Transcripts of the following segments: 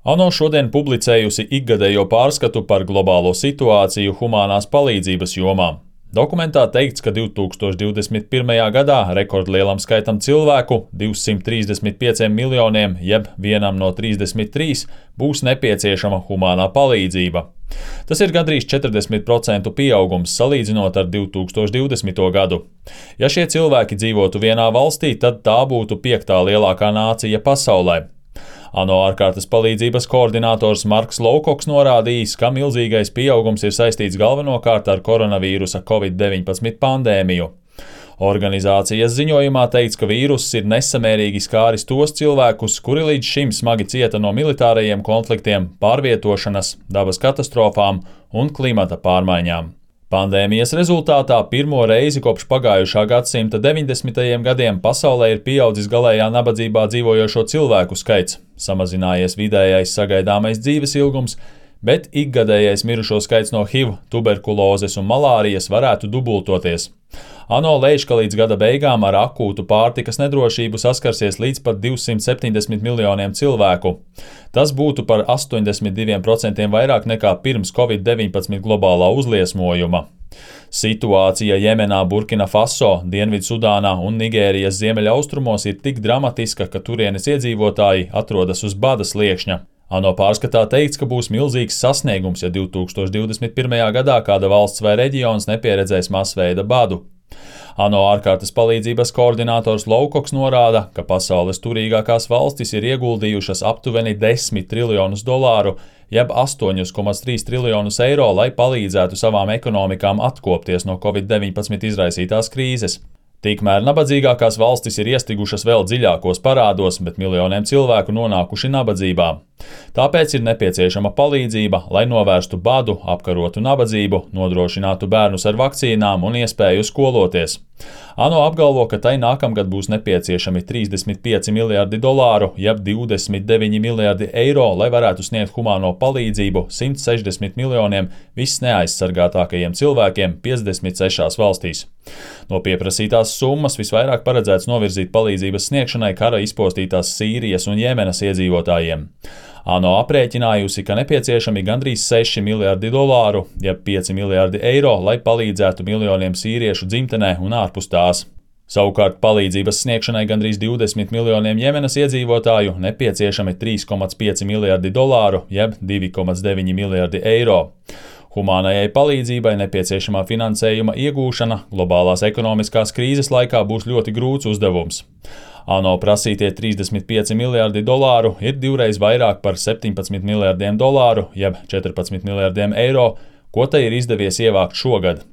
ANO šodien publicējusi ikgadējo pārskatu par globālo situāciju humānās palīdzības jomā. Dokumentā teikts, ka 2021. gadā rekordlielam skaitam cilvēku, 235 miljoniem, jeb vienam no 33, būs nepieciešama humānā palīdzība. Tas ir gandrīz 40% pieaugums salīdzinot ar 2020. gadu. Ja šie cilvēki dzīvotu vienā valstī, tad tā būtu 5. lielākā nācija pasaulē. ANO ārkārtas palīdzības koordinators Marks Lowcocks norādījis, ka milzīgais pieaugums ir saistīts galvenokārt ar koronavīrusa COVID-19 pandēmiju. Organizācijas ziņojumā teikts, ka vīruss ir nesamērīgi skāris tos cilvēkus, kuri līdz šim smagi cieta no militārajiem konfliktiem, pārvietošanas, dabas katastrofām un klimata pārmaiņām. Pandēmijas rezultātā pirmo reizi kopš pagājušā gadsimta 90. gadiem pasaulē ir pieaudzis galējā nabadzībā dzīvojošo cilvēku skaits, samazinājies vidējais sagaidāmais dzīves ilgums, bet ikgadējais mirušo skaits no HIV, tuberkulozes un malārijas varētu dubultoties. ANO lēš, ka līdz gada beigām ar akūtu pārtikas nedrošību saskarsies līdz pat 270 miljoniem cilvēku. Tas būtu par 82% vairāk nekā pirms COVID-19 globālā uzliesmojuma. Situācija Jemenā, Burkina Faso, Dienvidsudānā un Nigērijas ziemeļaustrumos ir tik dramatiska, ka turienes iedzīvotāji atrodas uz bada sliekšņa. ANO pārskatā teikts, ka būs milzīgs sasniegums, ja 2021. gadā kāda valsts vai reģions nepieredzēs masveida badu. ANO ārkārtas palīdzības koordinators Lowcocks norāda, ka pasaules turīgākās valstis ir ieguldījušas aptuveni $10 triljonus, jeb 8,3 triljonus eiro, lai palīdzētu savām ekonomikām atkopties no COVID-19 izraisītās krīzes. Tikmēr nabadzīgākās valstis ir iestrigušas vēl dziļākos parādos, bet miljoniem cilvēku nonākuši nabadzībā. Tāpēc ir nepieciešama palīdzība, lai novērstu badu, apkarotu nabadzību, nodrošinātu bērnus ar vakcīnām un iespēju skoloties. ANO apgalvo, ka tai nākamgad būs nepieciešami $35 miljardi, jeb 29 miljardi eiro, lai varētu sniegt humāno palīdzību 160 miljoniem visneaizsargātākajiem cilvēkiem 56 valstīs. No pieprasītās summas visvairāk paredzēts novirzīt palīdzības sniegšanai kara izpostītās Sīrijas un Jemenas iedzīvotājiem. ANO aprēķinājusi, ka nepieciešami gandrīz $6 miljardi, jeb 5 miljardi eiro, lai palīdzētu miljoniem sīriešu dzimtenē un ārpus tās. Savukārt palīdzības sniegšanai gandrīz 20 miljoniem Jemenas iedzīvotāju nepieciešami $3,5 miljardi, jeb 2,9 miljardi eiro. Humānajai palīdzībai nepieciešamā finansējuma iegūšana globālās ekonomiskās krīzes laikā būs ļoti grūts uzdevums. ANO prasītie $35 miljardi ir divreiz vairāk par $17 miljardiem, jeb 14 miljardiem eiro, ko tai ir izdevies ievākt šogad.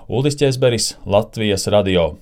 Uldis Ķezberis, Latvijas radio.